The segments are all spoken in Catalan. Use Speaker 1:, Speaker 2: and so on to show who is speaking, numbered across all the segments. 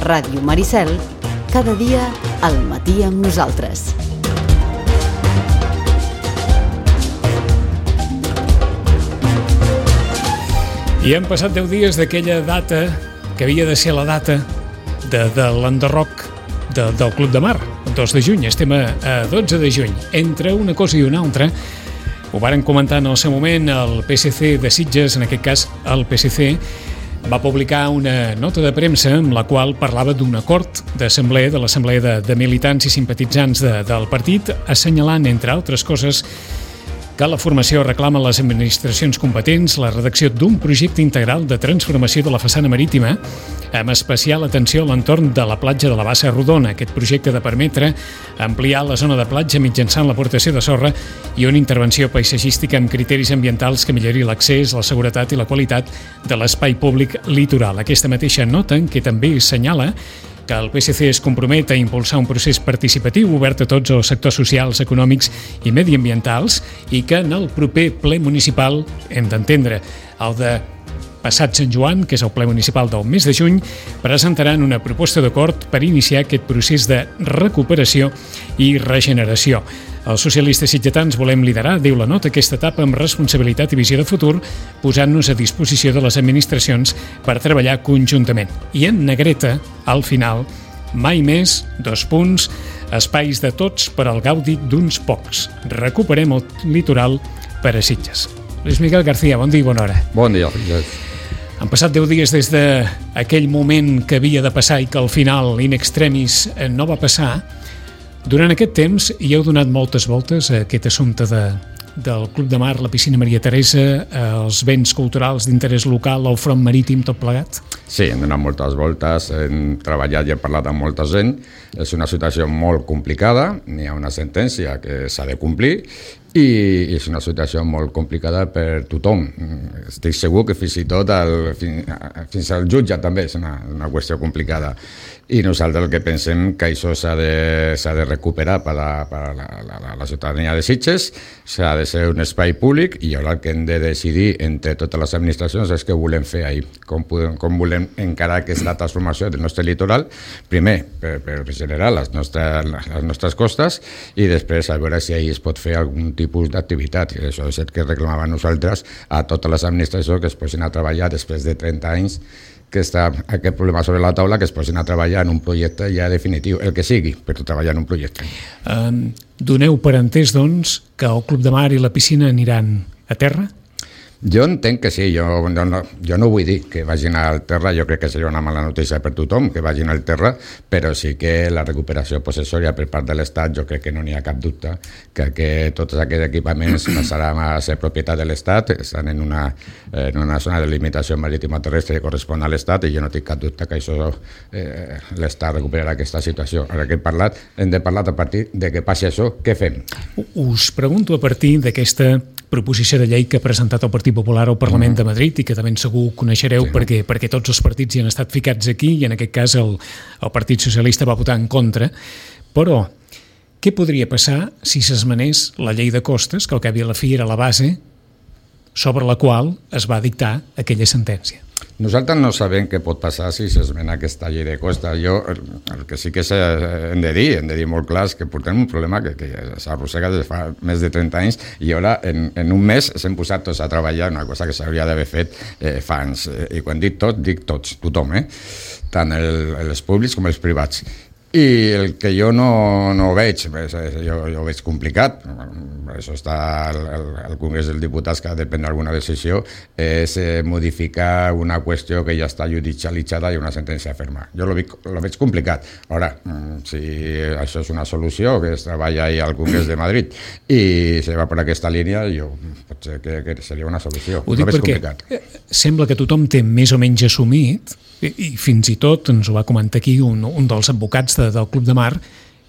Speaker 1: Ràdio Maricel, cada dia al matí amb nosaltres.
Speaker 2: I han passat 10 dies d'aquella data que havia de ser la data de l'enderroc del Club de Mar, 2 de juny. Estem a 12 de juny. Entre una cosa i una altra, ho varen comentar en el seu moment el PSC de Sitges, en aquest cas el PSC, va publicar una nota de premsa amb la qual parlava d'un acord d'assemblea, de l'assemblea de militants i simpatitzants del partit, assenyalant, entre altres coses, que la formació reclama a les administracions competents la redacció d'un projecte integral de transformació de la façana marítima, amb especial atenció a l'entorn de la platja de la Bassa Rodona. Aquest projecte ha de permetre ampliar la zona de platja mitjançant l'aportació de sorra i una intervenció paisatgística amb criteris ambientals que millori l'accés, la seguretat i la qualitat de l'espai públic litoral. Aquesta mateixa nota, en què també assenyala que el PSC es compromet a impulsar un procés participatiu obert a tots els sectors socials, econòmics i mediambientals i que en el proper ple municipal, hem d'entendre, el de passat Sant Joan, que és el ple municipal del mes de juny, presentaran una proposta d'acord per iniciar aquest procés de recuperació i regeneració. Els socialistes sitgetans volem liderar, diu la nota, aquesta etapa amb responsabilitat i visió de futur, posant-nos a disposició de les administracions per treballar conjuntament. I en negreta, al final, mai més, espais de tots per al gaudi d'uns pocs. Recuperem el litoral per a Sitges. Luis Miguel García, bon dia i bona hora.
Speaker 3: Bon dia.
Speaker 2: Han passat 10 dies des d'aquell moment que havia de passar i que al final, in extremis, no va passar. Durant aquest temps hi heu donat moltes voltes a aquest assumpte del Club de Mar, la piscina Maria Teresa, els béns culturals d'interès local, el front marítim, tot plegat?
Speaker 3: Sí, hem donat moltes voltes, hem treballat i hem parlat amb molta gent. És una situació molt complicada, n'hi ha una sentència que s'ha de complir i és una situació molt complicada per tothom. Estic segur que fins i tot fins al jutge també és una qüestió complicada. I nosaltres el que pensem que això s'ha de recuperar per a la ciutadania de Sitges, s'ha de ser un espai públic i ara el que hem de decidir entre totes les administracions és què volem fer ahir, com volem encarar aquesta transformació del nostre litoral, primer per regenerar les nostres costes i després a veure si ahir es pot fer algun tipus d'activitat. I això és el que reclamàvem nosaltres a totes les administracions que es posin a treballar després de 30 anys que està aquest problema sobre la taula, que es posin a treballar en un projecte ja definitiu, el que sigui, però treballar en un projecte.
Speaker 2: Doneu per entès, doncs, que el Club de Mar i la piscina aniran a terra?
Speaker 3: Jo entenc que sí, jo no vull dir que vagin al terra, jo crec que seria una mala notícia per tothom que vagin al terra, però sí que la recuperació possessòria per part de l'Estat, jo crec que no n'hi ha cap dubte, que tots aquests equipaments passaran a ser propietat de l'Estat, estan en una zona de limitació marítima terrestre que correspon a l'Estat i jo no tinc cap dubte que això l'Estat recuperarà aquesta situació. Ara que hem de parlar a partir de que passi això, què fem?
Speaker 2: Us pregunto a partir d'aquesta proposició de llei que ha presentat el Partit Popular al Parlament de Madrid i que també segur coneixereu perquè tots els partits hi han estat ficats aquí i en aquest cas el Partit Socialista va votar en contra. Però què podria passar si s'esmenés la llei de costes, que al cap i a la fi era la base sobre la qual es va dictar aquella sentència?
Speaker 3: Nosaltres no sabem què pot passar si s'esmena aquesta llei de costes. Jo, el que sí que hem de dir molt clar, és que portem un problema que s'arrossega des de fa més de 30 anys i ara en un mes s'hem posat tots a treballar una cosa que s'hauria d'haver fet fa anys. I quan dic tots, tothom, tant els públics com els privats. I el que jo no veig, jo veig complicat, per això està al Congrés dels Diputats que ha de prendre alguna decisió, és modificar una qüestió que ja està judicialitzada i una sentència ferma. Jo lo veig complicat. Ara, si això és una solució, que es treballa ahir al Congrés de Madrid i se va per aquesta línia, potser que seria una solució.
Speaker 2: Ho dic perquè sembla que tothom té més o menys assumit, i fins i tot ens ho va comentar aquí un dels advocats del Club de Mar,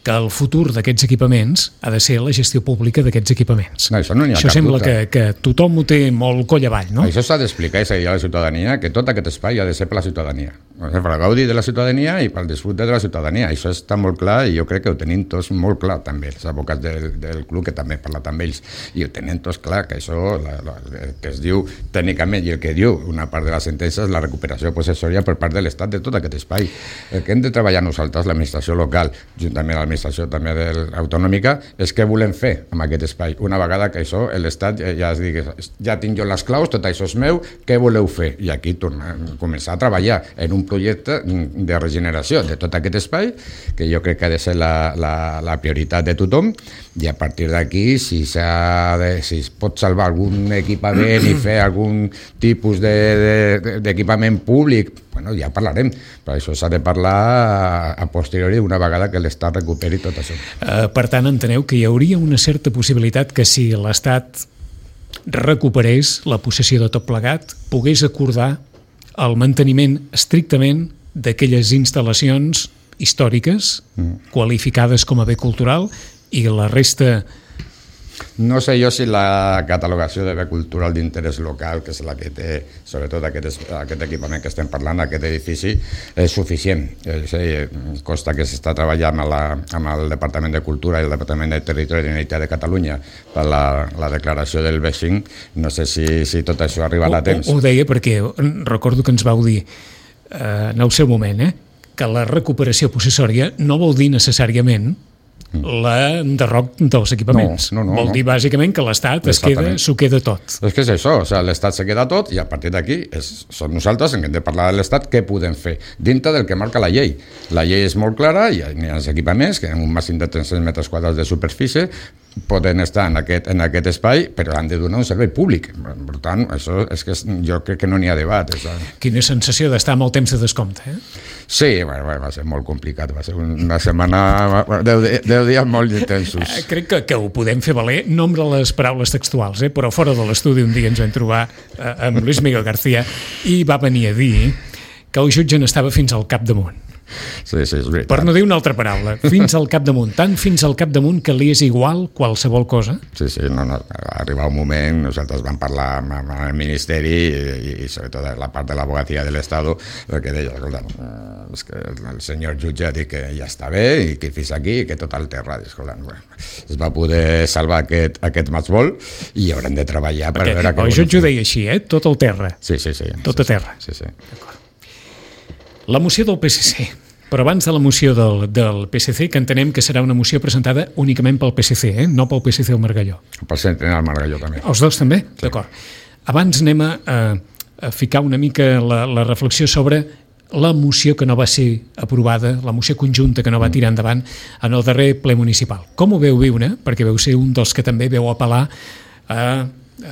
Speaker 2: que el futur d'aquests equipaments ha de ser la gestió pública d'aquests equipaments.
Speaker 3: No, això no n'hi ha
Speaker 2: Això
Speaker 3: cap
Speaker 2: sembla
Speaker 3: dubte.
Speaker 2: que tothom ho té molt coll avall, no?
Speaker 3: Això s'ha d'explicar i s'ha de dir a la ciutadania que tot aquest espai ha de ser per la ciutadania. Per el gaudi de la ciutadania i pel disfrute de la ciutadania. Això està molt clar i jo crec que ho tenim tots molt clar també, els advocats del club, que també he parlat amb ells, i ho tenen tots clar, que això, el que es diu tècnicament i el que diu una part de la sentència és la recuperació possessòria per part de l'Estat de tot aquest espai. El que hem de treballar nosaltres, l'administració local, juntament amb l'administració també autonòmica, és què volem fer amb aquest espai. Una vegada que això, l'Estat ja es digui, ja tinc jo les claus, tot això és meu, què voleu fer? I aquí començar a treballar en un projecte de regeneració de tot aquest espai, que jo crec que ha de ser la prioritat de tothom, i a partir d'aquí, si es pot salvar algun equipament i fer algun tipus d'equipament públic, bueno, ja parlarem, però això s'ha de parlar a posteriori una vegada que l'Estat recuperi tot això.
Speaker 2: Per tant, enteneu que hi hauria una certa possibilitat que si l'Estat recuperés la possessió de tot plegat, pogués acordar el manteniment estrictament d'aquelles instal·lacions històriques qualificades com a bé cultural i la resta...
Speaker 3: No sé jo si la catalogació de bé cultural d'interès local, que és la que té, sobretot aquest equipament que estem parlant, aquest edifici, és suficient. Consta que s'està treballant amb el Departament de Cultura i el Departament de Territori i Identitat de Catalunya per la declaració del B5. No sé si tot això arribarà a temps.
Speaker 2: Ho deia perquè recordo que ens vau dir en el seu moment que la recuperació possessòria no vol dir necessàriament l'enderroc dels equipaments.
Speaker 3: No.
Speaker 2: Vol dir bàsicament que l'Estat s'ho queda tot.
Speaker 3: És que és això, l'Estat se queda tot i a partir d'aquí som nosaltres en què hem de parlar de l'Estat què podem fer dintre del que marca la llei. La llei és molt clara, hi ha els equipaments que en un màxim de 300 metres quadrats de superfície poden estar en aquest espai, però han de donar un servei públic. Per tant, això és que jo crec que no n'hi ha debat.
Speaker 2: Quina sensació d'estar amb el temps de descompte,
Speaker 3: Sí, va ser molt complicat, va ser una setmana, 10 dies molt intensos.
Speaker 2: Crec que ho podem fer valer, no amb les paraules textuals, però fora de l'estudi un dia ens vam trobar amb Luis Miguel García i va venir a dir que el jutge n'estava fins al capdamunt.
Speaker 3: Sí, és veritat.
Speaker 2: Per no dir una altra paraula, fins al capdamunt, tant fins al capdamunt que li és igual qualsevol cosa.
Speaker 3: Sí, no, arriba un moment, nosaltres vam parlar amb el Ministeri i sobretot la part de l'Abogatia de l'Estat, perquè deia, escolta, és que el senyor jutge ha dit que ja està bé i que fins aquí i que tot el terra. Escolta, es va poder salvar aquest matchball i haurem de treballar per veure...
Speaker 2: El jutge ho deia així, tot el terra.
Speaker 3: Sí.
Speaker 2: Tot a terra.
Speaker 3: Sí.
Speaker 2: La moció del PSC, però abans de la moció del PSC, que entenem que serà una moció presentada únicament pel PSC, no pel PSC al Margalló.
Speaker 3: Pel centre al Margalló també.
Speaker 2: Els dos també?
Speaker 3: Sí.
Speaker 2: D'acord. Abans anem a ficar una mica la reflexió sobre la moció que no va ser aprovada, la moció conjunta que no va tirar endavant en el darrer ple municipal. Com ho veu viure? Perquè veu ser un dels que també veu apel·lar a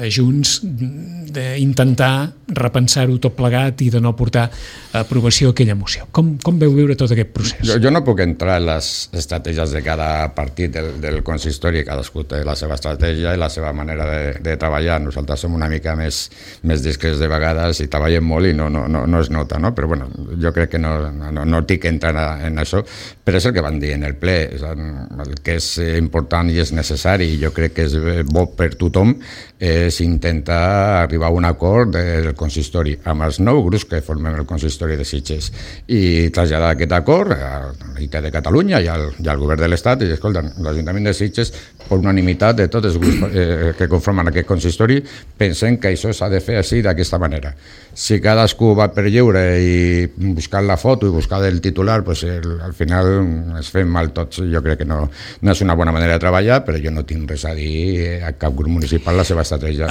Speaker 2: Junts d'intentar repensar-ho tot plegat i de no portar a aprovació aquella moció. Com veu viure tot aquest procés?
Speaker 3: Jo no puc entrar en les estratègies de cada partit del consistori, cadascú té la seva estratègia i la seva manera de treballar. Nosaltres som una mica més discrets de vegades i treballem molt i no es nota, no? Però bueno, jo crec que no tinc que entrar en això, però és el que van dir en el ple. El que és important i és necessari i jo crec que és bo per tothom és intentar arribar a un acord del consistori amb els 9 grups que formem el consistori de Sitges i traslladar aquest acord a la Generalitat de Catalunya i al govern de l'Estat i escolta, l'Ajuntament de Sitges per unanimitat de tots els grups que conformen aquest consistori pensem que això s'ha de fer així d'aquesta manera. Si cadascú va per lliure i buscar la foto i buscar el titular, pues al final es fem mal tots. Jo crec que no és una bona manera de treballar, però jo no tinc res a dir a cap grup municipal la seva estratègia.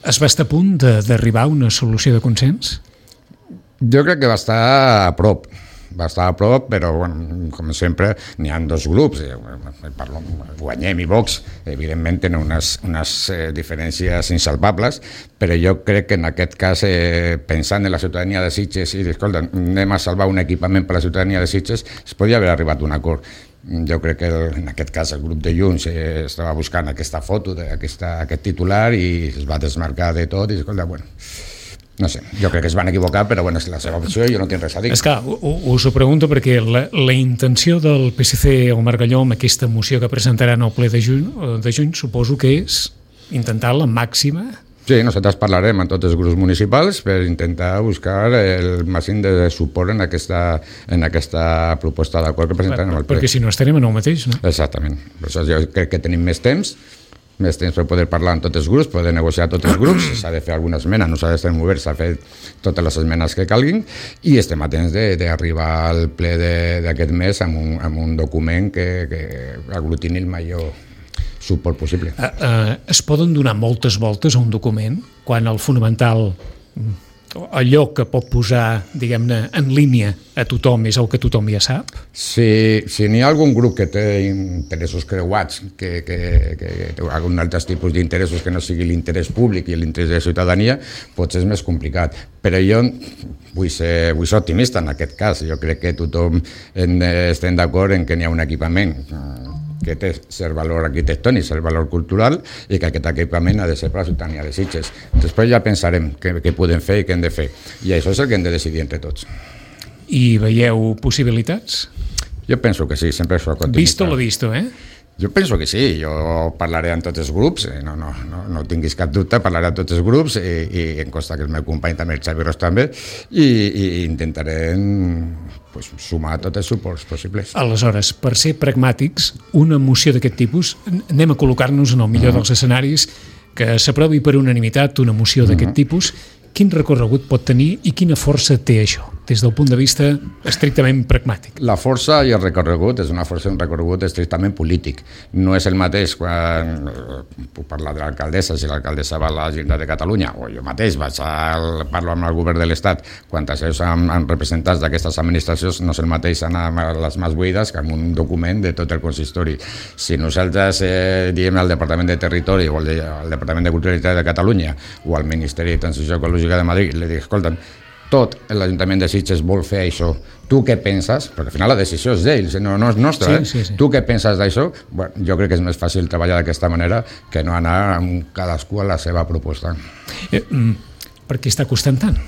Speaker 2: Es va estar a punt d'arribar a una solució de consens?
Speaker 3: Jo crec que va estar a prop, però bueno, com sempre n'hi ha 2 grups, Guanyem i Vox, evidentment tenen unes diferències insalvables, però jo crec que en aquest cas, pensant en la ciutadania de Sitges i escolta, anem a salvar un equipament per a la ciutadania de Sitges, es podria haver arribat a un acord. Jo crec que en aquest cas el grup de Junts estava buscant aquesta foto, aquest titular i es va desmarcar de tot i escolta, bueno, No sé, jo crec que es van equivocar, però bueno, és la seva opció i jo no tinc res a dir.
Speaker 2: És clar, us ho pregunto perquè la intenció del PSC o Margalló amb aquesta moció que presentaran al ple de juny suposo que és intentar la màxima.
Speaker 3: Sí, nosaltres parlarem amb tots els grups municipals per intentar buscar el màxim de suport en aquesta proposta d'acord que presentarem al ple.
Speaker 2: Perquè si no estarem en el mateix, no?
Speaker 3: Exactament. Per això jo crec que tenim més temps per poder parlar amb tots els grups, poder negociar tots els grups, s'ha de fer alguna esmena, nosaltres estem oberts a fer totes les esmenes que calguin i estem atents d'arribar al ple d'aquest mes amb un document que aglutini el major suport possible.
Speaker 2: Es poden donar moltes voltes a un document quan el fonamental, allò que pot posar, diguem-ne, en línia a tothom és el que tothom ja sap?
Speaker 3: Si n'hi ha algun grup que té interessos creuats, que té algun altres tipus d'interessos que no sigui l'interès públic i l'interès de la ciutadania, potser és més complicat. Però jo vull ser optimista en aquest cas. Jo crec que tothom estem d'acord en que n'hi ha un equipament que té cert valor arquitectònic, cert valor cultural, i que aquest equipament ha de ser per la ciutadania de Sitges. Després ja pensarem què podem fer i què hem de fer. I això és el que hem de decidir entre tots.
Speaker 2: I veieu possibilitats?
Speaker 3: Jo penso que sí, sempre això continua.
Speaker 2: Visto lo visto, eh?
Speaker 3: Jo penso que sí, jo parlaré amb tots els grups, no tinguis cap dubte, parlaré amb tots els grups i em consta que el meu company també, el Xavi Ros també, i intentaré sumar tots els suports possibles.
Speaker 2: Aleshores, per ser pragmàtics, una moció d'aquest tipus, anem a col·locar-nos en el millor dels escenaris, que s'aprovi per unanimitat una moció d'aquest tipus, quin recorregut pot tenir i quina força té això, des del punt de vista estrictament pragmàtic?
Speaker 3: La força i el recorregut és un recorregut estrictament polític. No és el mateix quan puc parlar de l'alcaldessa, si l'alcaldessa va a la Generalitat de Catalunya, o jo mateix parlo amb el govern de l'Estat, quan això amb representants d'aquestes administracions, no és el mateix anar a les mans buides que amb un document de tot el consistori. Si nosaltres diem al Departament de Territori o al Departament de Cultura de Catalunya o al Ministeri de Transició Ecològica de Madrid, li dic, escolta'm, tot l'Ajuntament de Sitges vol fer això, tu què penses? Perquè al final la decisió és d'ells, no és nostra,
Speaker 2: sí.
Speaker 3: Tu què penses d'això? Bueno, jo crec que és més fàcil treballar d'aquesta manera que no anar amb cadascú a la seva proposta.
Speaker 2: Per què està costant tant?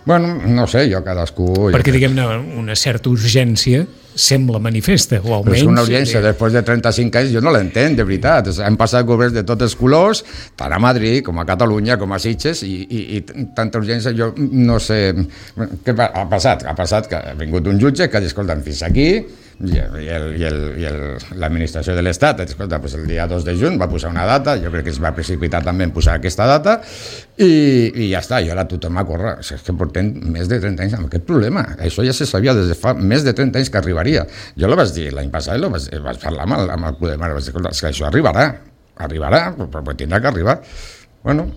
Speaker 3: Bueno, no sé, jo cadascú...
Speaker 2: Perquè, diguem-ne, una certa urgència sembla manifesta, o almenys...
Speaker 3: Però és una urgència, després de 35 anys jo no l'entenc, de veritat. Hem passat governs de tots els colors, tant a Madrid com a Catalunya, com a Sitges, i tanta urgència, jo no sé... Què ha passat? Ha passat que ha vingut un jutge que ha dit, escolta'm, fins aquí, i l'administració de l'Estat, escolta, pues el dia 2 de juny va posar una data, jo crec que es va precipitar també en posar aquesta data, i ja està, i ara tothom a córrer. És que portem més de 30 anys amb aquest problema. Això ja se sabia des de fa més de 30 anys que arribaria. Jo lo vaig dir l'any passat, vaig parlar amb el Club de Mar, vaig dir, escolta, és que això arribarà, però tindrà que arribar. Bueno,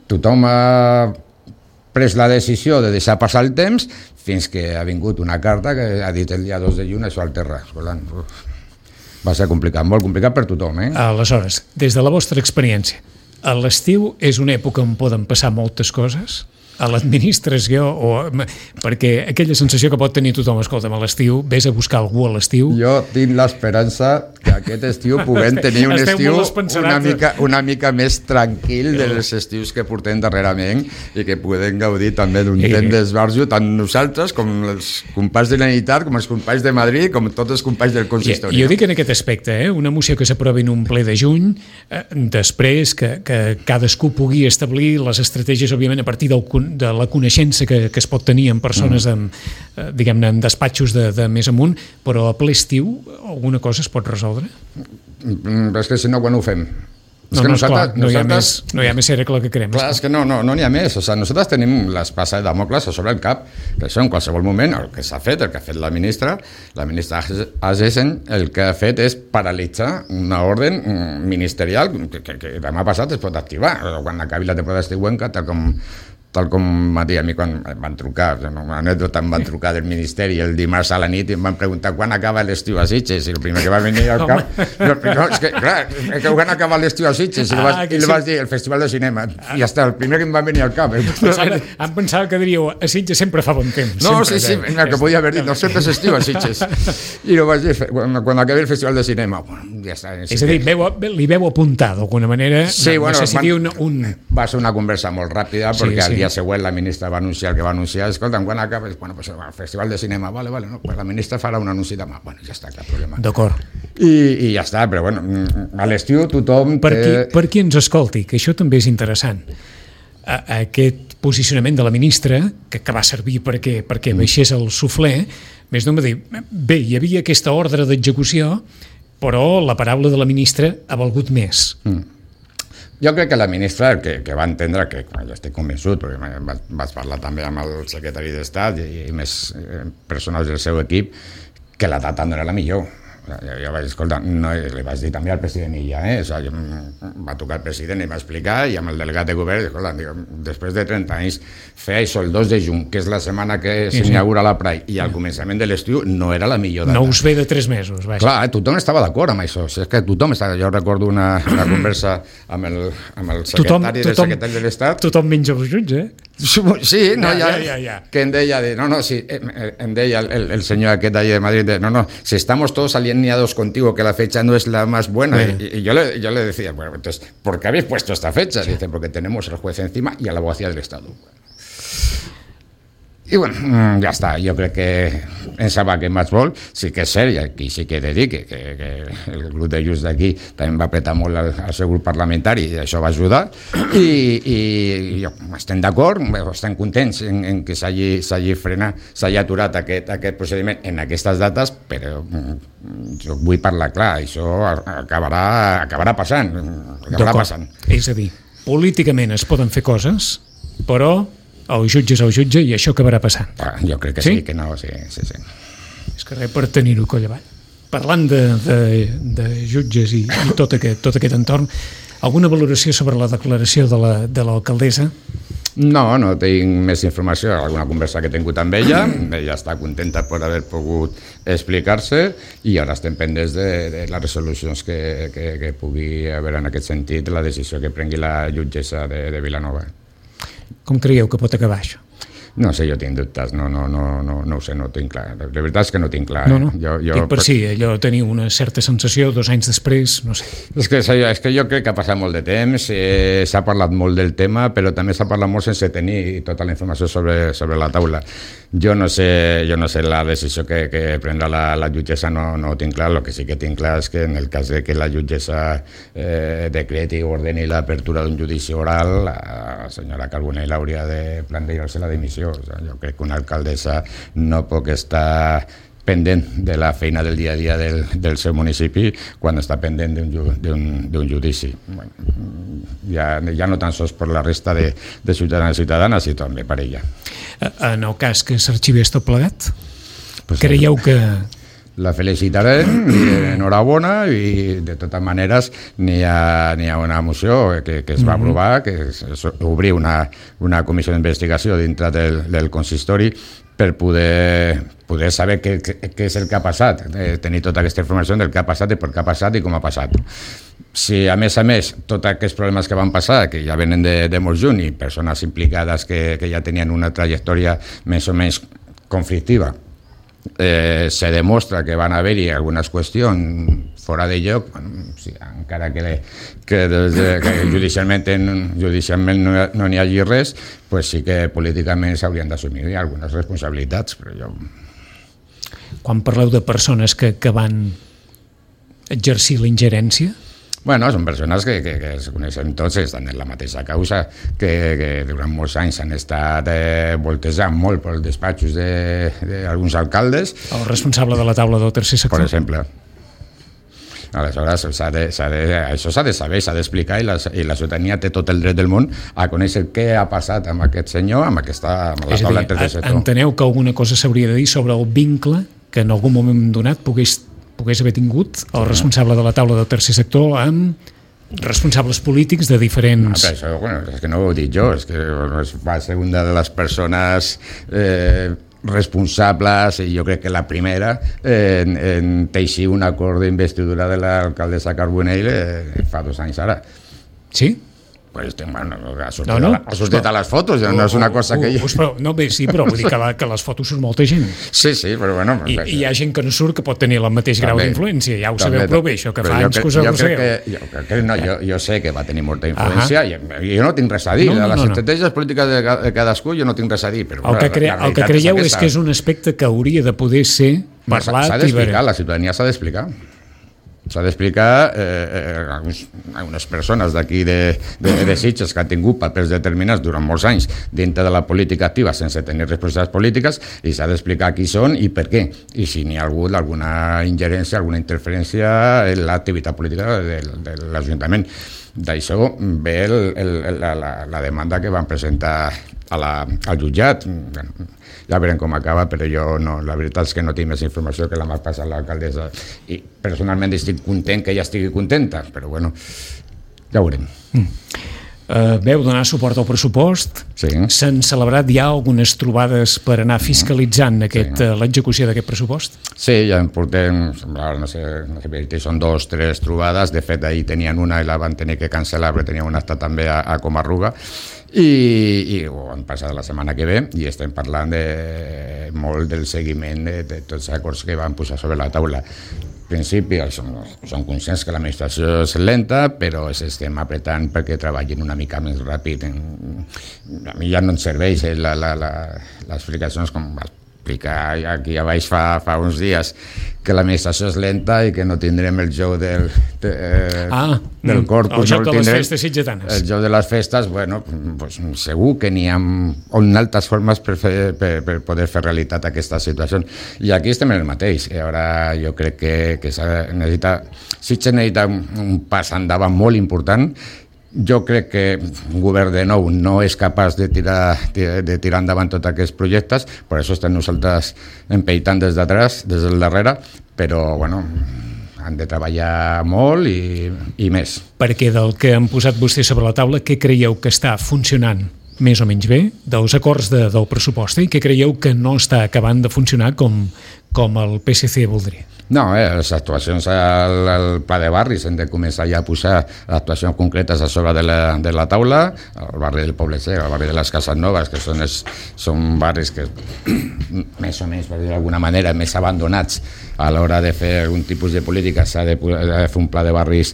Speaker 3: tothom ha pres la decisió de deixar passar el temps fins que ha vingut una carta que ha dit el dia 2 de juny això al terra. Va ser complicat, molt complicat per tothom.
Speaker 2: Aleshores, des de la vostra experiència, a l'estiu és una època on poden passar moltes coses? A l'administració, perquè aquella sensació que pot tenir tothom, escolta'm, a l'estiu, vés a buscar algú a l'estiu...
Speaker 3: Jo tinc l'esperança que aquest estiu puguem tenir un estiu una mica més tranquil dels estius que portem darrerament i que podem gaudir també d'un temps d'esbarjo, tant nosaltres com els companys de la Generalitat, com els companys de Madrid, com tots els companys del consistori.
Speaker 2: Jo dic en aquest aspecte, una moció que s'aprovi en un ple de juny, després que cadascú pugui establir les estratègies, òbviament, a partir de la coneixença que es pot tenir en persones diguem-ne, en despatxos de més amunt, però a ple estiu alguna cosa es pot resoldre?
Speaker 3: És que si no, quan ho fem?
Speaker 2: No hi ha més cercle que crem.
Speaker 3: Clar, és que no n'hi ha més. O sigui, nosaltres tenim l'espasa de Damocles sobre el cap, que això en qualsevol moment, el que s'ha fet, el que ha fet la ministra Agessen, el que ha fet és paralitzar una ordre ministerial que demà passat es pot activar, quan acabi la temporada estiuenca, tal com tal com va dir a mi quan em van trucar, una anècdota, em van trucar del Ministeri el dimarts a la nit i em van preguntar quan acaba l'estiu a Sitges, i el primer que va venir al cap, no, és que clar, que quan acaba l'estiu a Sitges, i li vas dir el Festival de Cinema, i ja està, el primer que em va venir al cap.
Speaker 2: Em pensava que diríeu, a Sitges sempre fa bon temps.
Speaker 3: No, sí, que podia haver dit, no sempre s'estiu a Sitges. I no vaig dir, quan acabi el Festival de Cinema, ja està.
Speaker 2: És a dir, li veu apuntar d'alguna manera, no sé si dir un...
Speaker 3: Va ser una conversa molt ràpida, perquè al dia següent la ministra va anunciar el que va anunciar. Escolta, quan acaba? Bueno, pues el Festival de Cinema, vale, no, pues la ministra farà un anunci demà. Bueno, ja està, cap problema.
Speaker 2: D'acord.
Speaker 3: I ja està, però bueno, a l'estiu tothom...
Speaker 2: Per qui ens escolti, que això també és interessant. Aquest posicionament de la ministra, que va servir perquè baixés el suflé, més d'un va dir, bé, hi havia aquesta ordre d'execució, però la paraula de la ministra ha valgut més.
Speaker 3: Jo crec que la ministra que va entendre, que jo estic convençut, perquè vaig parlar també amb el secretari d'Estat i més persones del seu equip, que la data no era la millor. Jo vaig escoltar, li vaig dir també al president Illa, va tocar el president i va explicar, i amb el delegat de govern, escolta, després de 30 anys, fer això el 2 de juny, que és la setmana que s'inaugura la Pride, i al començament de l'estiu no era la millor data.
Speaker 2: No us ve de 3 mesos, vaja.
Speaker 3: Clar, tothom estava d'acord amb això, és que tothom estava... Jo recordo una conversa amb el secretari del secretari de l'Estat.
Speaker 2: Tothom menja els jutge,
Speaker 3: Sí, no, ja. Que em deia, em deia el senyor aquest d'allí de Madrid, si estamos todos alineados contigo, que la fecha no es la más buena. Y yo le decía, bueno, entonces, ¿por qué habéis puesto esta fecha? Dice, porque tenemos al juez encima y a la abogacía del Estado. I bueno, ja està, jo crec que en saber què més vol, sí que és cert, i aquí sí que he de dir que el grup de Junts d'aquí també va apretar molt al seu grup parlamentari i això va ajudar, i estem d'acord, estem contents en que s'hagi frenat, s'hagi aturat aquest procediment en aquestes dates, però jo vull parlar clar, això acabarà passant.
Speaker 2: És a dir, políticament es poden fer coses, però el jutge és el jutge i això acabarà passant.
Speaker 3: Jo crec que sí, que no, sí.
Speaker 2: És que res per tenir-ho coll avall. Parlant de jutges i tot aquest entorn, alguna valoració sobre la declaració de l'alcaldessa?
Speaker 3: No tinc més informació, alguna conversa que he tingut amb ella està contenta per haver pogut explicar-se, i ara estem pendents de les resolucions que pugui haver en aquest sentit, la decisió que prengui la jutgessa de Vilanova.
Speaker 2: Com creieu que pot acabar això?
Speaker 3: No sé, jo tinc dubtes, no ho sé, no ho tinc clar. La veritat és que no ho tinc clar.
Speaker 2: Dic per si allò teniu una certa sensació 2 anys després, no sé. És
Speaker 3: que jo crec que ha passat molt de temps, s'ha parlat molt del tema, però també s'ha parlat molt sense tenir tota la informació sobre la taula. Jo no sé la decisió que prendrà la jutgessa, no ho tinc clar. El que sí que tinc clar és que en el cas de que la jutgessa decreti o ordeni l'apertura d'un judici oral, la senyora Carbonell hauria de plantejar-se la dimissió. Jo crec que una alcaldessa no pot estar pendent de la feina del dia a dia del seu municipi quan està pendent d'un judici. Ja no tan sols per la resta de ciutadans i ciutadanes, sinó també per ella.
Speaker 2: En el cas que s'arxivés tot plegat, creieu que...
Speaker 3: La felicitaré, enhorabona, i de totes maneres n'hi ha una moció que es va aprovar, que és obrir una comissió d'investigació dintre del consistori per poder saber què és el que ha passat, tenir tota aquesta informació del que ha passat i per què ha passat i com ha passat. Si a més, tots aquests problemes que van passar, que ja venen de molt juny, i persones implicades que ja tenien una trajectòria més o menys conflictiva, se demostra que van haver-hi algunes qüestions fora de lloc, encara que judicialment no n'hi hagi res, pues sí que políticament s'haurien d'assumir algunes responsabilitats.
Speaker 2: Quan parleu de persones que van exercir la ingerència,
Speaker 3: són persones que es coneixen tots, estan en la mateixa causa, que durant molts anys han estat voltejant molt pels despatxos d'alguns alcaldes.
Speaker 2: El responsable de la taula del tercer sector.
Speaker 3: Per exemple. Aleshores, això s'ha de saber, s'ha d'explicar, i la ciutadania té tot el dret del món a conèixer què ha passat amb aquest senyor, amb la taula del tercer sector.
Speaker 2: Enteneu que alguna cosa s'hauria de dir sobre el vincle que en algun moment donat pogués haver tingut el responsable de la taula del tercer sector amb responsables polítics de diferents...
Speaker 3: Això, és que no ho he dit jo, és que va ser una de les persones responsables, i jo crec que la primera, en teixir un acord d'investidura de l'alcaldessa Carbonell fa 2 anys ara.
Speaker 2: Sí?
Speaker 3: Pues, bueno, ha sortit a les fotos, no és una cosa que...
Speaker 2: Sí, però vull dir que les fotos són molta gent.
Speaker 3: Sí, però bueno...
Speaker 2: I hi ha gent que no surt que pot tenir el mateix grau d'influència, ja ho sabeu prou bé, això que fa anys que us arrossegueu.
Speaker 3: Jo sé que va tenir molta influència, i jo no tinc res a dir, a les estratègies polítiques de cadascú jo no tinc res a dir, però...
Speaker 2: El que creieu és que és un aspecte que hauria de poder ser parlat...
Speaker 3: S'ha d'explicar, la ciutadania s'ha d'explicar. S'ha d'explicar a unes persones d'aquí de Sitges que han tingut papers determinats durant molts anys dintre de la política activa sense tenir responsabilitats polítiques, i s'ha d'explicar qui són i per què, i si n'hi ha hagut alguna ingerència, alguna interferència en l'activitat política de l'Ajuntament. D'això ve la demanda que van presentar al jutjat. Ja veurem com acaba, però jo no, la veritat és que no tinc més informació que la m'ha passat l'alcaldessa, i personalment estic content que ella estigui contenta, però bueno, ja ho veurem.
Speaker 2: Veu donar suport al pressupost,
Speaker 3: sí.
Speaker 2: S'han celebrat ja algunes trobades per anar fiscalitzant l'execució d'aquest pressupost?
Speaker 3: Sí, ja en portem, no sé, són 2 o 3 trobades, de fet ahir tenien una i la van tenir que cancel·lar perquè tenia un acte també a Comarruga, i ho han passat la setmana que ve, i estem parlant molt del seguiment de tots els acords que van posar sobre la taula. En principi som conscients que l'administració és lenta, però estem apretant perquè treballin una mica més ràpid. A mi ja no em serveix les explicacions com va explicar aquí a baix fa uns dies, que l'administració és lenta i que no tindrem el joc del corpus.
Speaker 2: El joc de les festes sitgetanes.
Speaker 3: El joc de les festes, bueno, pues segur que n'hi ha altres formes per poder fer realitat aquesta situació. I aquí estem en el mateix. I ara jo crec que Sitges necessita un pas endavant molt important. Jo crec que un govern de nou no és capaç de tirar endavant tots aquests projectes, per això estem nosaltres empeitant des del darrere, però bueno, han de treballar molt i més.
Speaker 2: Perquè del que han posat vostès sobre la taula, què creieu que està funcionant més o menys bé dels acords del pressupost, i què creieu que no està acabant de funcionar com el PSC voldria?
Speaker 3: No, les actuacions al pla de barris hem de començar ja a posar actuacions concretes a sobre de la taula. El barri del Poble Sec, el barri de les Cases Noves, que són barris que més o menys, per dir d'alguna manera, més abandonats a l'hora de fer algun tipus de política. S'ha de fer un pla de barris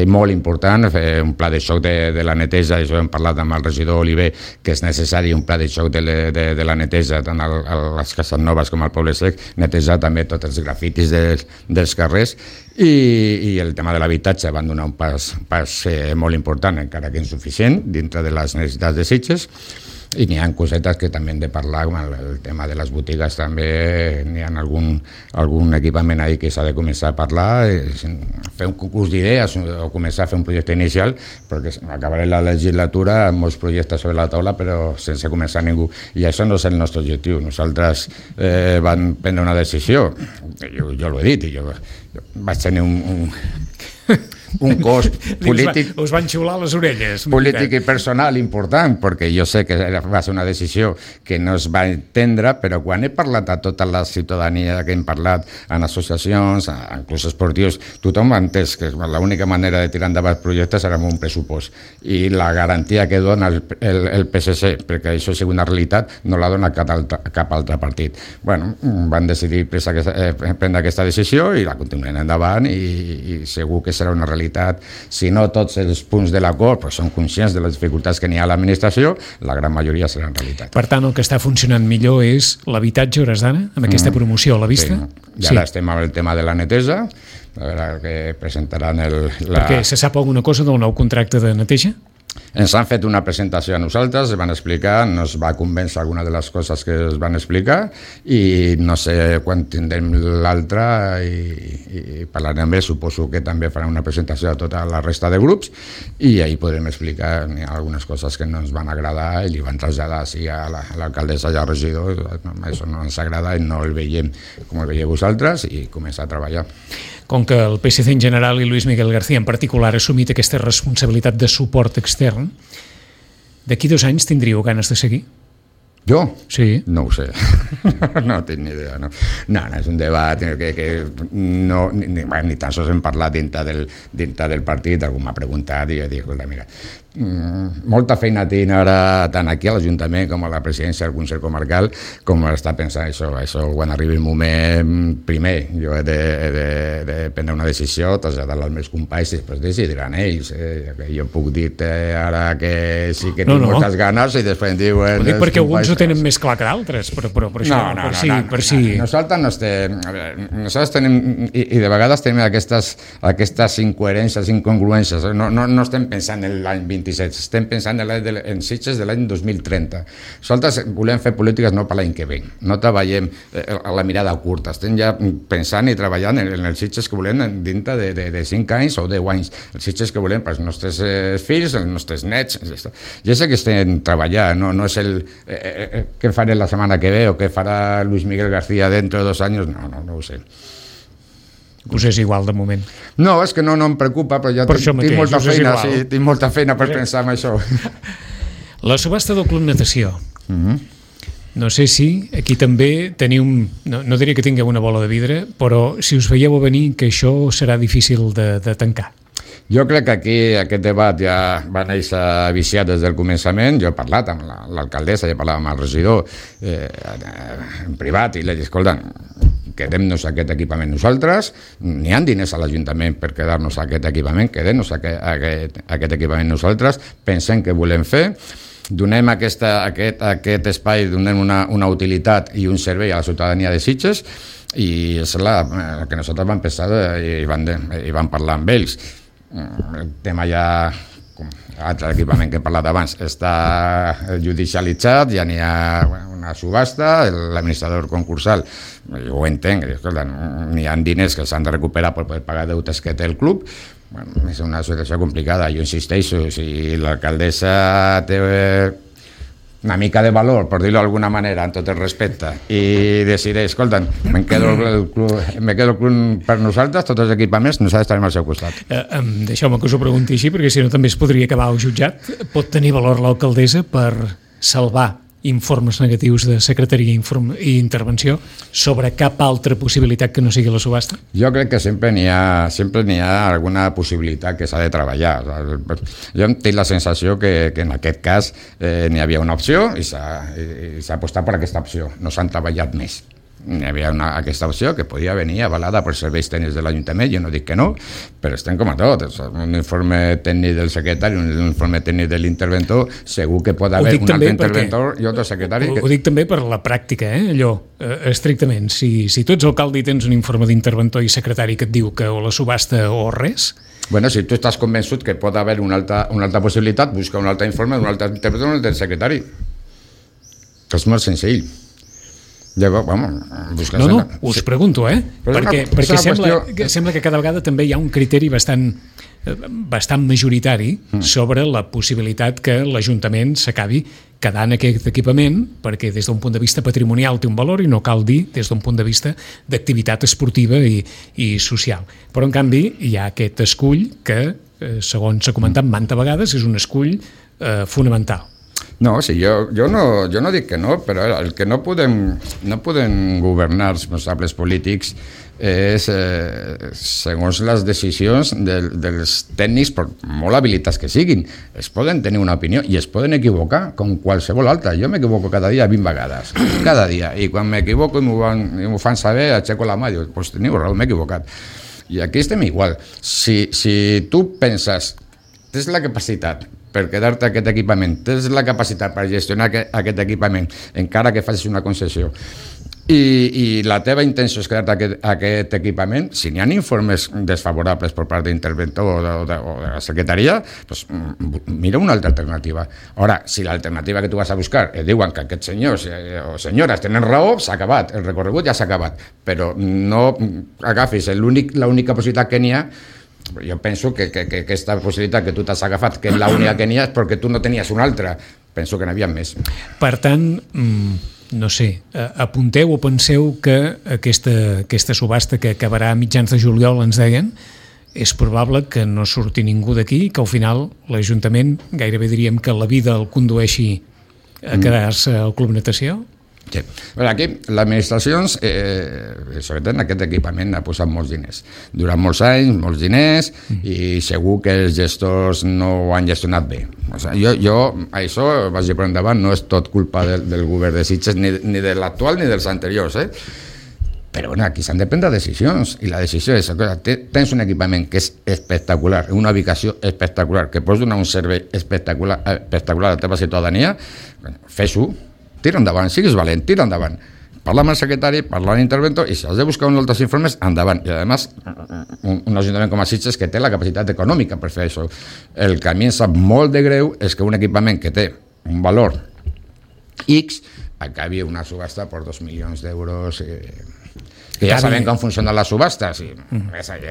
Speaker 3: molt important, fer un pla de xoc de la neteja. Això hem parlat amb el regidor Oliver, que és necessari un pla de xoc de la neteja tant a les Cases Noves com al Poble Sec, netejar també tots els grafitis dels carrers, i el tema de l'habitatge van donar un pas molt important, encara que insuficient, dintre de les necessitats de Sitges. I n'hi ha cosetes que també hem de parlar, com el tema de les botigues també, n'hi ha algun equipament ahí que s'ha de començar a parlar, fer un concurs d'idees o començar a fer un projecte inicial, perquè acabaré la legislatura amb molts projectes sobre la taula però sense començar ningú, i això no és el nostre objectiu. Nosaltres vam prendre una decisió, jo l'ho he dit, i jo vaig tenir un cost polític,
Speaker 2: us van xiular les orelles,
Speaker 3: polític i personal important, perquè jo sé que va ser una decisió que no es va entendre, però quan he parlat a tota la ciutadania, que hem parlat en associacions, en clubs esportius, tothom ha entès que l'única manera de tirar endavant projectes era amb un pressupost, i la garantia que dona el PSC, perquè això sigui una realitat, no la dona cap altre partit. Bueno, van decidir prendre aquesta decisió i la continuem endavant, i segur que serà una realitat. Si no tots els punts de l'acord són conscients de les dificultats que n'hi ha a l'administració, la gran majoria seran realitat.
Speaker 2: Per tant, el que està funcionant millor és l'habitatge a hores d'ara, amb aquesta promoció a la vista?
Speaker 3: Sí. I ara estem amb el tema de la neteja, a veure què presentaran
Speaker 2: Perquè se sap alguna cosa del nou contracte de neteja?
Speaker 3: Ens han fet una presentació a nosaltres, es van explicar, no es va convèncer alguna de les coses que es van explicar, i no sé quan tindrem l'altra i parlarem bé, suposo que també farà una presentació a tota la resta de grups, i ahir podrem explicar algunes coses que no ens van agradar i li van traslladar a l'alcaldessa i al regidor. Això no ens agrada i no el veiem com el veieu vosaltres, i començar a treballar.
Speaker 2: com que el PSC en general i Luis Miguel García en particular ha assumit aquesta responsabilitat de suport extern, d'aquí 2 anys tindríeu ganes de seguir?
Speaker 3: Jo?
Speaker 2: Sí.
Speaker 3: No ho sé. No tinc ni idea. No, és un debat que no, ni tan sols hem parlat dintre del partit. Algú m'ha preguntat i jo dic, escolta, mira, molta feina tinc ara tant aquí a l'Ajuntament com a la presidència del Consell Comarcal com està pensant això quan arribi el moment. Primer jo he de prendre una decisió, traslladar-la als meus companys i després decidiran ells. Jo puc dir ara que sí que tinc moltes ganes i després em diuen...
Speaker 2: Ho dic perquè alguns ho tenen més clar que d'altres, però això, per si...
Speaker 3: Nosaltres tenim, i de vegades tenim aquestes incoherències, incongruències. No estem pensant en l'any 27, estem pensant en Sitges de l'any 2030. Nosaltres volem fer polítiques no per l'any que ve, no treballem a la mirada curta, estem ja pensant i treballant en els Sitges que volem dintre de 5 anys o 10 anys, els Sitges que volem pels nostres fills, els nostres nets. Ja sé que estem treballant, no és el... què faré la setmana que ve o què farà Luis Miguel García dentro de 2 anys, no ho sé.
Speaker 2: Us és igual de moment?
Speaker 3: No, és que no em preocupa, però ja tinc molta feina, tinc molta feina per pensar en això.
Speaker 2: La subhasta del Club Natació. No sé si aquí també teniu, no diria que tingueu una bola de vidre, però si us veieu a venir que això serà difícil de tancar.
Speaker 3: Jo crec que aquí aquest debat ja va néixer viciat des del començament. Jo he parlat amb l'alcaldessa, he parlat amb el regidor en privat i li he dit, escolta, quedem-nos aquest equipament nosaltres, n'hi ha diners a l'Ajuntament per quedar-nos aquest equipament, quedem-nos aquest equipament nosaltres, pensem que volem fer, donem aquest espai, donem una utilitat i un servei a la ciutadania de Sitges, i és el que nosaltres vam pensar i vam parlar amb ells. El tema ja, com l'altre equipament que he parlat abans, està judicialitzat, ja n'hi ha una subhasta, l'administrador concursal, jo ho entenc, n'hi ha diners que s'han de recuperar per poder pagar deutes que té el club. Bueno, és una situació complicada, jo insisteixo, si l'alcaldessa té una mica de valor, per dir-ho d'alguna manera, en tot el respecte, i decideix, escolta, me quedo el club per nosaltres, tots els equipaments, nosaltres estarem al seu costat.
Speaker 2: Deixeu-me que us ho pregunti així, perquè si no també es podria acabar al jutjat. Pot tenir valor l'alcaldessa per salvar informes negatius de secretaria i intervenció sobre cap altra possibilitat que no sigui la subhasta?
Speaker 3: Jo crec que sempre n'hi ha alguna possibilitat que s'ha de treballar. Jo tinc la sensació que en aquest cas n'hi havia una opció i s'ha apostat per aquesta opció. No s'han treballat més. Hi havia aquesta opció que podia venir avalada per serveis tècnics de l'Ajuntament, jo no dic que no, però estem com a tot, un informe tècnic del secretari, un informe tècnic de l'interventor, segur que pot haver un altre interventor i otro secretari.
Speaker 2: Ho dic també per la pràctica, allò, estrictament, si tu ets alcalde i tens un informe d'interventor i secretari que et diu que o la subhasta o res...
Speaker 3: Bueno, si tu estàs convençut que pot haver una altra possibilitat, busca un altre informe, un altre interventor, un altre secretari. És molt senzill.
Speaker 2: Us pregunto, perquè sembla que cada vegada també hi ha un criteri bastant majoritari sobre la possibilitat que l'Ajuntament s'acabi quedant aquest equipament, perquè des d'un punt de vista patrimonial té un valor i no cal dir des d'un punt de vista d'activitat esportiva i social. Però en canvi hi ha aquest escull que, segons s'ha comentat mantes vegades, és un escull fonamental.
Speaker 3: No, sí, jo no dic que no, però el que no podem governar els responsables polítics és, segons les decisions dels tècnics, per molt habilitats que siguin, es poden tenir una opinió i es poden equivocar com qualsevol altra. Jo m'equivoco cada dia 20 vegades, cada dia, i quan m'equivoco i m'ho fan saber, aixeco la mà i dic, doncs teniu raó, m'he equivocat. I aquí estem igual. Si tu penses, tens la capacitat per quedar-te aquest equipament, tens la capacitat per gestionar aquest equipament, encara que facis una concessió, i la teva intenció és quedar-te aquest equipament, si n'hi ha informes desfavorables per part d'interventor o de la secretaria, doncs mira una altra alternativa. Ara, si l'alternativa que tu vas a buscar et diuen que aquests senyors o senyores tenen raó, s'ha acabat, el recorregut ja s'ha acabat, però no agafis l'única possibilitat que n'hi ha. Jo penso que aquesta possibilitat que tu t'has agafat, que és l'única que n'hi ha, és perquè tu no tenies una altra. Penso que n'hi havia més.
Speaker 2: Per tant, no sé, apunteu o penseu que aquesta subhasta que acabarà a mitjans de juliol, ens deien, és probable que no surti ningú d'aquí, que al final l'Ajuntament gairebé diríem que la vida el condueixi a quedar-se al Club Natació?
Speaker 3: Sí. Però aquí l'administració, sobretot en aquest equipament, ha posat molts diners. Durant molts anys, molts diners, i segur que els gestors no ho han gestionat bé. O sigui, jo això, vagi per endavant, no és tot culpa del govern de Sitges, ni de l'actual ni dels anteriors, Però bueno, aquí s'han de prendre decisions, i la decisió és, tens un equipament que és espectacular, una ubicació espectacular, que pots donar un servei espectacular a la teva ciutadania, fes-ho, tira endavant, siguis valent, tira endavant. Parla amb el secretari, parla amb l'interventor, i si has de buscar uns altres informes, endavant. I a més, un ajuntament com a Sitges que té la capacitat econòmica per fer això. El que a mi em sap molt de greu és que un equipament que té un valor X acabi una subhasta per 2 milions d'euros, que ja sabem com funcionen les subhastes.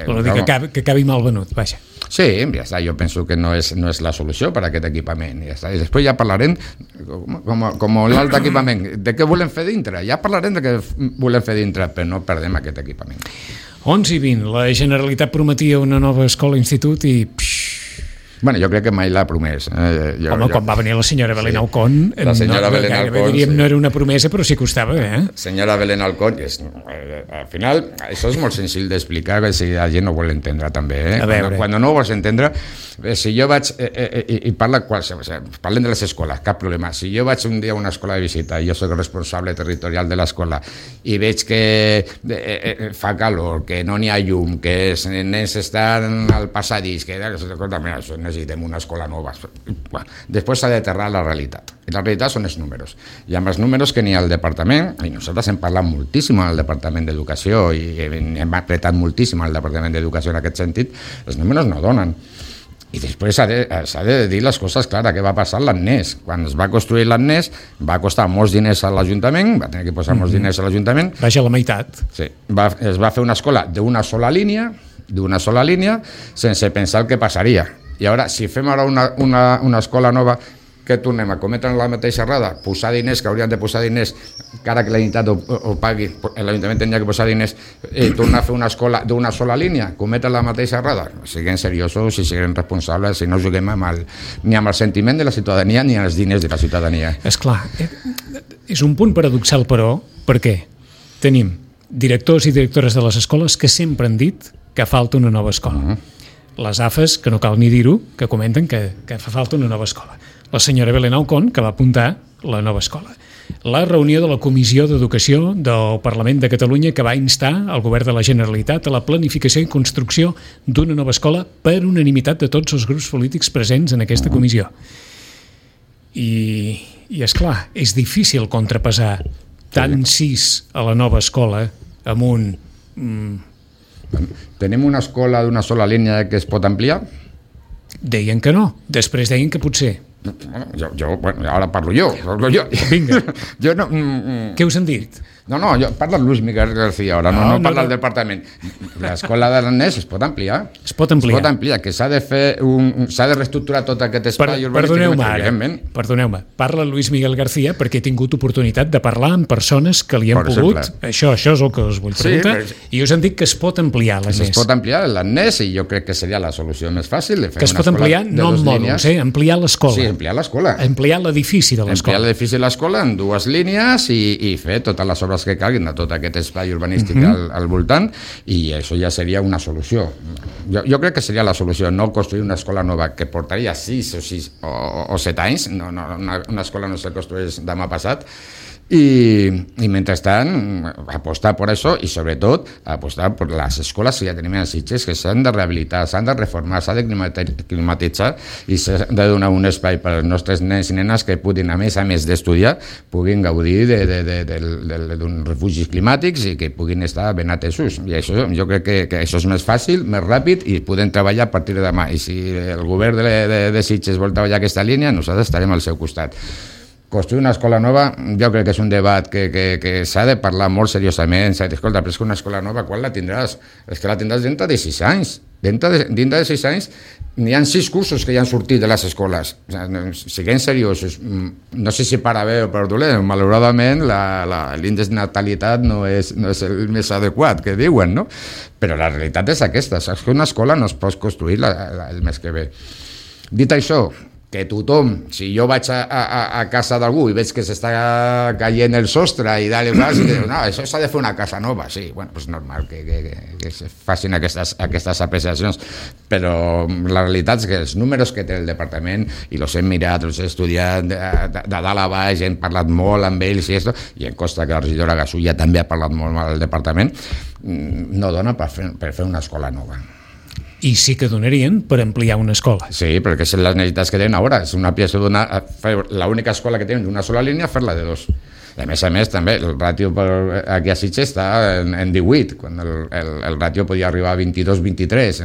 Speaker 2: Vol dir que acabi mal venut, vaja.
Speaker 3: Sí, ja està, jo penso que no és la solució per a aquest equipament. Ja està. I després ja parlarem, com l'altre equipament, de què volem fer dintre. Ja parlarem de què volem fer dintre, però no perdem aquest equipament.
Speaker 2: 11:20, la Generalitat prometia una nova escola-institut i...
Speaker 3: Bueno, jo crec que mai l'ha promès.
Speaker 2: Home, quan va venir la senyora Belén Alcón,
Speaker 3: la senyora Belén Alcón,
Speaker 2: diríem, no era una promesa, però sí costava,
Speaker 3: Senyora Belén Alcón, al final, això és molt senzill d'explicar, si la gent no vol entendre també, Quan no ho vols entendre, si jo vaig, i parlem de les escoles, cap problema, si jo vaig un dia a una escola de visita, i jo soc el responsable territorial de l'escola, i veig que fa calor, que no n'hi ha llum, que els nens estan al passadís, que això necessitem una escola nova. Després s'ha d'aterrar la realitat. I la realitat són els números. I amb els números que n'hi ha al departament, i nosaltres hem parlat moltíssim al Departament d'Educació i hem apretat moltíssim al Departament d'Educació en aquest sentit, els números no donen. I després s'ha de dir les coses clares, què va passar a l'Agnès. Quan es va construir l'Agnès va costar molts diners a l'Ajuntament, va tenir que posar molts diners a l'Ajuntament.
Speaker 2: Vaja, la meitat.
Speaker 3: Sí, es va fer una escola d'una sola línia, sense pensar el que passaria. I ara, si fem ara una escola nova, que tornem a cometre la mateixa errada, posar diners, que haurien de posar diners, cara que la Generalitat ho pagui, l'Ajuntament tenia que posar diners, i tornar a fer una escola d'una sola línia, cometre la mateixa errada, siguem seriosos i siguem responsables, i no juguem ni amb el sentiment de la ciutadania ni amb els diners de la ciutadania.
Speaker 2: Esclar, és un punt paradoxal, però, perquè tenim directors i directores de les escoles que sempre han dit que falta una nova escola. Les AFES, que no cal ni dir-ho, que comenten que fa falta una nova escola. La senyora Belén Alcón, que va apuntar la nova escola. La reunió de la Comissió d'Educació del Parlament de Catalunya, que va instar el Govern de la Generalitat a la planificació i construcció d'una nova escola per unanimitat de tots els grups polítics presents en aquesta comissió. I esclar, és difícil contrapesar tant sis a la nova escola amb un...
Speaker 3: Tenim una escola d'una sola línia que es pot ampliar?
Speaker 2: Deien que no, després deien que potser.
Speaker 3: Bueno, ara parlo jo.
Speaker 2: Vinga.
Speaker 3: Jo no...
Speaker 2: Què us han dit?
Speaker 3: No, parla Luis Miguel García ara, no parla el departament. L'escola de l'Agnès es pot ampliar.
Speaker 2: Es pot ampliar,
Speaker 3: que s'ha de fer s'ha de reestructurar tot aquest espai urbanístic.
Speaker 2: Perdoneu-me, parla Luis Miguel García perquè he tingut oportunitat de parlar amb persones que li han pogut. Això és el que us vull preguntar. I us han dit que es pot ampliar l'Agnès.
Speaker 3: Es pot ampliar l'Agnès i jo crec que seria la solució més fàcil.
Speaker 2: Que es pot ampliar no en mòduls, ampliar l'escola.
Speaker 3: Sí, ampliar l'escola.
Speaker 2: Ampliar l'edifici de l'escola.
Speaker 3: Ampliar l'edifici de l'escola en dues línies i fer totes les obres que calguin de tot aquest espai urbanístic al voltant, i això ja seria una solució. Jo crec que seria la solució, no construir una escola nova que portaria 6 o 7 anys, una escola no se construeix demà passat, i mentrestant apostar per això i sobretot apostar per les escoles que ja tenim a Sitges, que s'han de rehabilitar, s'han de reformar, s'han de climatitzar i s'ha de donar un espai per als nostres nens i nenes que puguin, a més d'estudiar, puguin gaudir d'uns refugis climàtics i que puguin estar ben atesos. I això, jo crec que això és més fàcil, més ràpid i podem treballar a partir de demà. I si el govern de Sitges vol treballar aquesta línia, nosaltres estarem al seu costat. Construir una escola nova, jo crec que és un debat que s'ha de parlar molt seriosament. S'ha de dir, escolta, però és que una escola nova, quan la tindràs? És que la tindràs dintre de 6 anys. Dintre de 6 anys n'hi ha 6 cursos que ja han sortit de les escoles. O sigui, siguem seriosos, no sé si per a bé o per dolent, malauradament l'índex de natalitat no és el més adequat que diuen, no? Però la realitat és aquesta, saps que una escola no es pot construir el mes que ve. Dit això, que tothom, si jo vaig a casa d'algú i veig que s'està caient el sostre i dalt i baix, i dius, no, això s'ha de fer una casa nova, sí, bueno, és normal que se facin aquestes apreciacions, però la realitat és que els números que té el departament, i els hem mirat, els he estudiat de dalt a baix, hem parlat molt amb ells i em consta que la regidora Gasulla també ha parlat molt amb el departament, no dona per fer una escola nova.
Speaker 2: I sí que donarien per ampliar una escola.
Speaker 3: Sí, perquè són les necessitats que tenen ara. És una pieza l'única escola que tenen d'una sola línia, fer-la de 2. A més, també, el ràtio aquí a Sitges està en 18, quan el ràtio podia arribar a 22-23.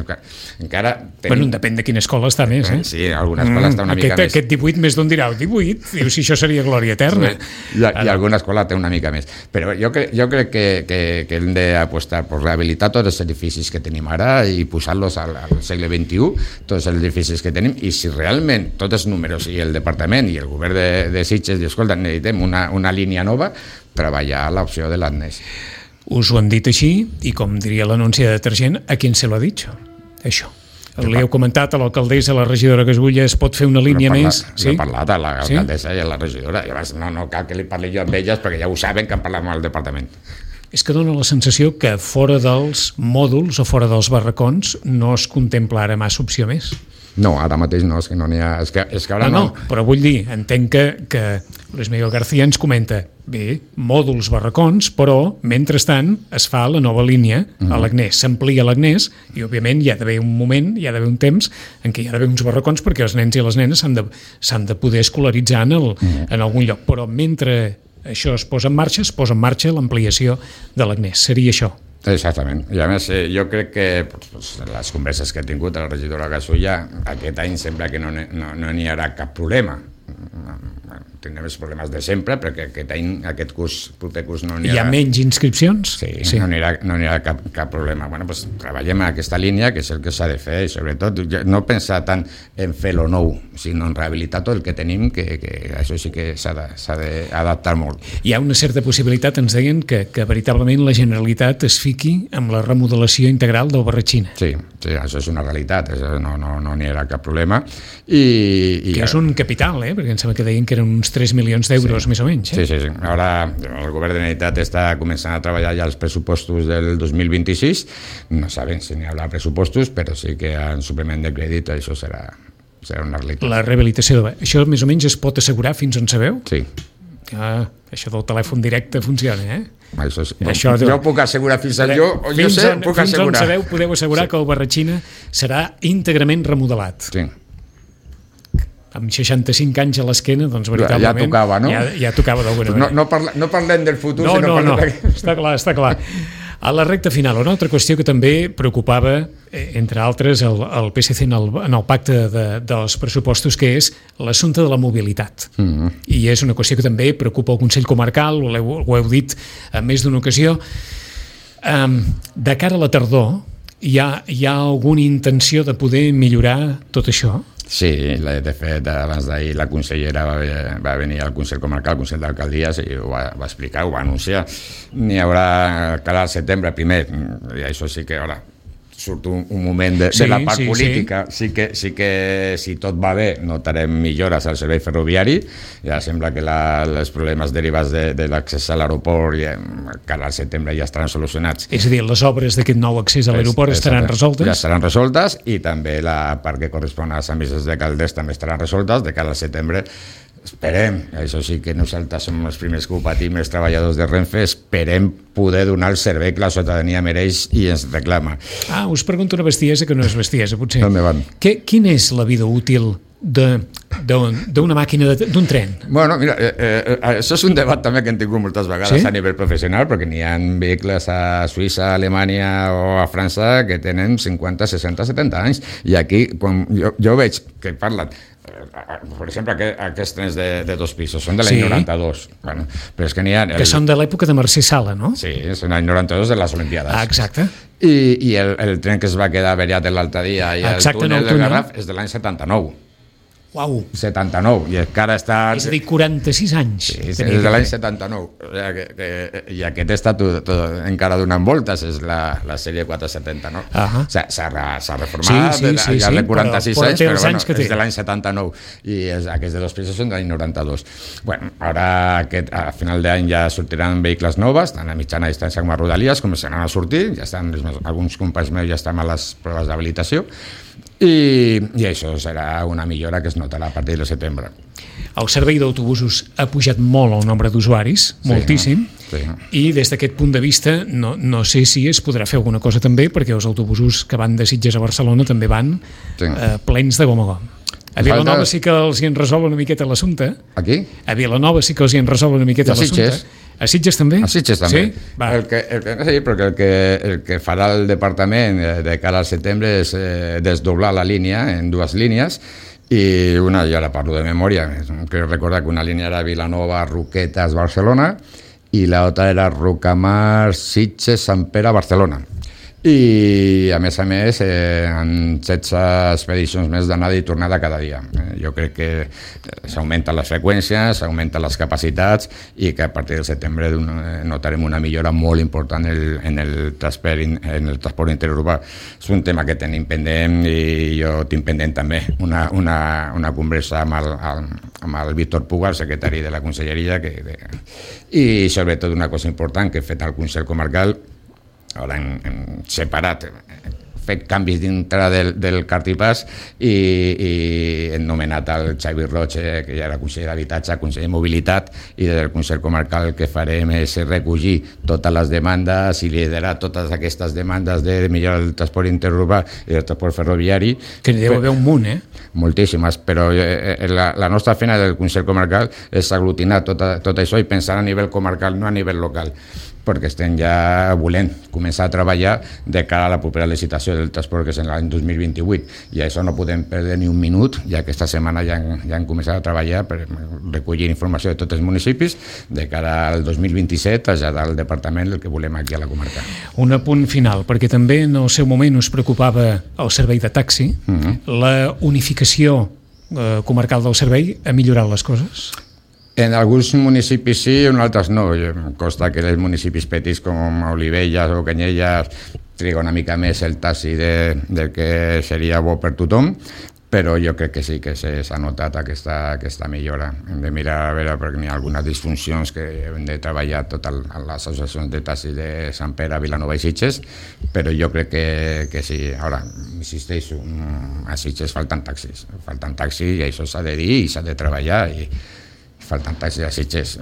Speaker 3: Encara
Speaker 2: bueno, depèn de quina escola està més, eh?
Speaker 3: Sí, alguna escola està una mica més.
Speaker 2: Aquest 18 més d'on dirà, 18? Diu, si això seria glòria eterna.
Speaker 3: I alguna escola té una mica més. Però jo crec que hem d'apostar per rehabilitar tots els edificis que tenim ara i posar-los al segle XXI, tots els edificis que tenim, i si realment tots els números i el departament i el govern de Sitges, escolta, necessitem una línia nova, treballar l'opció de l'Agnès.
Speaker 2: Us ho han dit així, i com diria l'anunci de detergent, a qui se l'ha dit això? Li heu comentat a l'alcaldessa, a la regidora Gasulla, es pot fer una línia més?
Speaker 3: Sí? He parlat a l'alcaldessa i a la regidora, i llavors no cal que li parli jo amb elles, perquè ja ho saben que han parlat amb el departament.
Speaker 2: És que dona la sensació que fora dels mòduls o fora dels barracons no es contempla ara massa opció més.
Speaker 3: No, ara mateix no, és que no n'hi ha... És que ara no.
Speaker 2: Però vull dir, entenc que Luis Miguel García ens comenta, bé, mòduls barracons, però, mentrestant, es fa la nova línia a l'Agnès, s'amplia l'Agnès, i, òbviament, hi ha d'haver un moment, hi ha d'haver un temps en què hi ha d'haver uns barracons perquè els nens i les nenes s'han de poder escolaritzar en algun lloc. Però mentre això es posa en marxa l'ampliació de l'Agnès. Seria això.
Speaker 3: Exactament, i a més jo crec que les converses que he tingut a la regidora Gasulla, aquest any sembla que no n'hi haurà cap problema. Tindrem els problemes de sempre, perquè aquest proper curs no n'hi haurà.
Speaker 2: Hi ha menys inscripcions?
Speaker 3: Sí. No n'hi haurà cap problema. Bueno, doncs treballem en aquesta línia, que és el que s'ha de fer, i sobretot no pensar tant en fer lo nou, sinó en rehabilitar tot el que tenim, que això sí que s'ha d'adaptar molt.
Speaker 2: Hi ha una certa possibilitat, ens deien, que veritablement la Generalitat es fiqui amb la remodelació integral del Barratxina.
Speaker 3: Sí, això és una realitat, no n'hi haurà cap problema. Que
Speaker 2: és un capital, perquè em sembla que deien que eren uns 3 milions d'euros, més o menys.
Speaker 3: Sí. Ara el govern de la Generalitat està començant a treballar ja els pressupostos del 2026. No sabem si n'hi haurà pressupostos, però sí que en suplement de crèdit això serà una realitat.
Speaker 2: La rehabilitació això més o menys es pot assegurar fins on sabeu?
Speaker 3: Sí.
Speaker 2: Això del telèfon directe funciona,
Speaker 3: jo puc assegurar puc assegurar.
Speaker 2: Fins on sabeu, podeu assegurar que el Barratxina serà íntegrament remodelat.
Speaker 3: Sí.
Speaker 2: Amb 65 anys a l'esquena, doncs veritablement...
Speaker 3: Ja tocava, no?
Speaker 2: Ja tocava d'alguna manera.
Speaker 3: No parlem del futur,
Speaker 2: No, està clar. A la recta final, una altra qüestió que també preocupava, entre altres, el PSC en el pacte dels pressupostos, que és l'assumpte de la mobilitat. I és una qüestió que també preocupa el Consell Comarcal, ho heu dit en més d'una ocasió. De cara a la tardor, hi ha alguna intenció de poder millorar tot això?
Speaker 3: Sí, de fet, abans d'ahir la consellera va venir al Consell Comarcal, al Consell d'Alcaldies, i ho va explicar, ho va anunciar. N'hi haurà cara al setembre primer, i això sí que ara surt un moment de la part política. Sí que si tot va bé notarem millores al servei ferroviari. Ja sembla que els problemes derivats de l'accés a l'aeroport cara al setembre ja estaran solucionats.
Speaker 2: És a dir, les obres d'aquest nou accés a l'aeroport estaran resoltes?
Speaker 3: Ja estaran resoltes, i també la part que correspon a Sant Vicenç de Calders també estaran resoltes. De cara al setembre esperem, això sí que nosaltres som els primers que ho patim, els treballadors de Renfe, esperem poder donar el servei que la ciutadania mereix i ens reclama.
Speaker 2: Us pregunto una bestiesa que no és bestiesa, potser.
Speaker 3: On me van?
Speaker 2: Quina és la vida útil d'una màquina, d'un tren?
Speaker 3: Bueno, mira, això és un debat també que hem tingut moltes vegades a nivell professional, perquè n'hi ha vehicles a Suïssa, a Alemanya o a França que tenen 50, 60, 70 anys, i aquí quan jo veig que parlen, per exemple, aquests trens de 2 pisos són de l'any 92. Bueno, però és que n'hi ha...
Speaker 2: Que són de l'època de Mercè Sala, no?
Speaker 3: Sí, són l'any 92 de les Olimpiades.
Speaker 2: Exacte.
Speaker 3: i el tren que es va quedar averiat l'altre dia i el túnel del Garraf és de l'any 79.
Speaker 2: Uau.
Speaker 3: 79, i encara està...
Speaker 2: És a dir, 46 anys.
Speaker 3: Sí, és de l'any 79. I aquest està encara donant voltes, és la sèrie 479. S'ha reformat, ja de 46 anys, però bueno, és de l'any 79. I aquests de dos pisos són de l'any 92. Bueno, ara a final d'any ja sortiran vehicles noves, tant a mitjana distància com a Rodalies, començaran a sortir, ja estan, alguns companys meus ja estan a les proves d'habilitació, i això serà una millora que es notarà a partir de setembre.
Speaker 2: El servei d'autobusos ha pujat molt el nombre d'usuaris, moltíssim, i des d'aquest punt de vista no sé si es podrà fer alguna cosa també, perquè els autobusos que van de Sitges a Barcelona també van plens de gom a gom. A Vilanova sí que els hi han resolt una miqueta l'assumpte.
Speaker 3: Aquí?
Speaker 2: A Vilanova sí que els hi han resolt una miqueta l'assumpte. A Sitges també?
Speaker 3: A Sitges també. Sí, perquè el que farà el departament de cara al setembre és desdoblar la línia en dues línies, i una, jo ara parlo de memòria, crec recordar que una línia era Vilanova, Roquetes, Barcelona, i l'altra era Rocamar, Sitges, Sant Pere, Barcelona. I a més en 16 expedicions més d'anada i tornada cada dia. Jo crec que s'augmenten les freqüències, s'augmenten les capacitats, i que a partir del setembre notarem una millora molt important en el transport interurbà. És un tema que tenim pendent, i jo tinc pendent també una conversa amb el Víctor Puga, el secretari de la Conselleria, i sobretot una cosa important que he fet al Consell Comarcal. Ara hem separat, fet canvis dintre del Cartipàs, i hem nomenat el Xavi Roig, que ja era conseller d'Habitatge, conseller de Mobilitat, i des del Consell Comarcal el que farem és recollir totes les demandes i liderar totes aquestes demandes de millorar el transport interurbà i el transport ferroviari.
Speaker 2: Que n'hi deu haver un munt,
Speaker 3: Moltíssimes, però la nostra feina del Consell Comarcal és aglutinar tot això i pensar a nivell comarcal, no a nivell local, perquè estem ja volent començar a treballar de cara a la propera licitació del transport, que és en l'any 2028, i això no podem perdre ni un minut, ja que aquesta setmana ja han començat a treballar per recollir informació de tots els municipis de cara al 2027, traslladar al departament el que volem aquí a la comarca.
Speaker 2: Un apunt final, perquè també en el seu moment us preocupava el servei de taxi. La unificació comarcal del servei ha millorat les coses?
Speaker 3: En alguns municipis sí, en altres no. Em consta que els municipis petits com Olivelles o Canyelles triga una mica més el taxi del que seria bo per tothom, però jo crec que sí que s'ha notat aquesta millora. Hem de mirar a veure perquè hi ha algunes disfuncions que hem de treballar totes les associacions de taxi de Sant Pere, Vilanova i Sitges, però jo crec que sí. Ara, insisteixo, a Sitges falten taxis i això s'ha de dir i s'ha de treballar, i falten taxis a Sitges.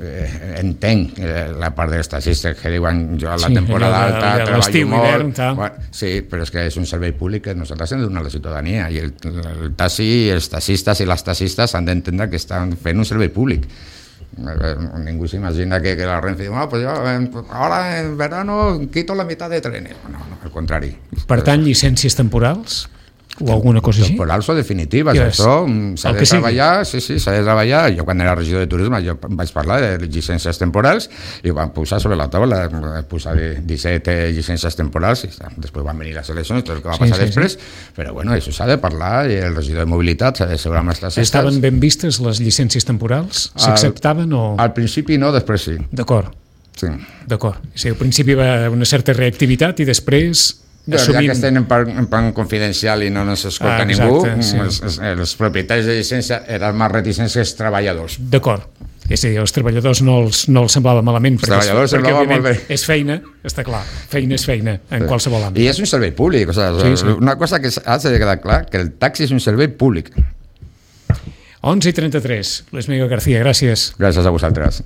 Speaker 3: Entenc la part dels taxistes que diuen jo a la temporada alta treballo molt. Sí, però és que és un servei públic que nosaltres hem de donar a la ciutadania, i el taxi, els taxistes i les taxistes han d'entendre que estan fent un servei públic. Ningú s'imagina que la Renfe diu pues yo ahora en verano quito la mitad de trenes. No, al contrari.
Speaker 2: Per tant, llicències temporals? O alguna cosa així?
Speaker 3: Temporals o definitives, això s'ha de treballar, sí, s'ha de treballar. Jo quan era regidor de turisme jo vaig parlar de llicències temporals i ho vam posar sobre la taula, posar 17 llicències temporals, i després van venir les eleccions, tot el que va passar després, però bueno, això s'ha de parlar, i el regidor de mobilitat s'ha de assegurar amb les taxistes.
Speaker 2: Estaven ben vistes les llicències temporals? S'acceptaven o...?
Speaker 3: Al principi no, després sí.
Speaker 2: D'acord.
Speaker 3: Sí.
Speaker 2: D'acord. Al principi va haver una certa reactivitat i després...
Speaker 3: Ja que estem en plan confidencial i no ens escolta ningú, els propietaris de llicència eren més reticents que els treballadors.
Speaker 2: D'acord. És a dir, als treballadors no els semblava malament, perquè òbviament és feina, està clar, feina és feina en qualsevol àmbit.
Speaker 3: I és un servei públic, una cosa que ha de quedar clar, que el taxi és un servei públic.
Speaker 2: 11:33. Luis Miguel García, gràcies.
Speaker 3: Gràcies a vosaltres.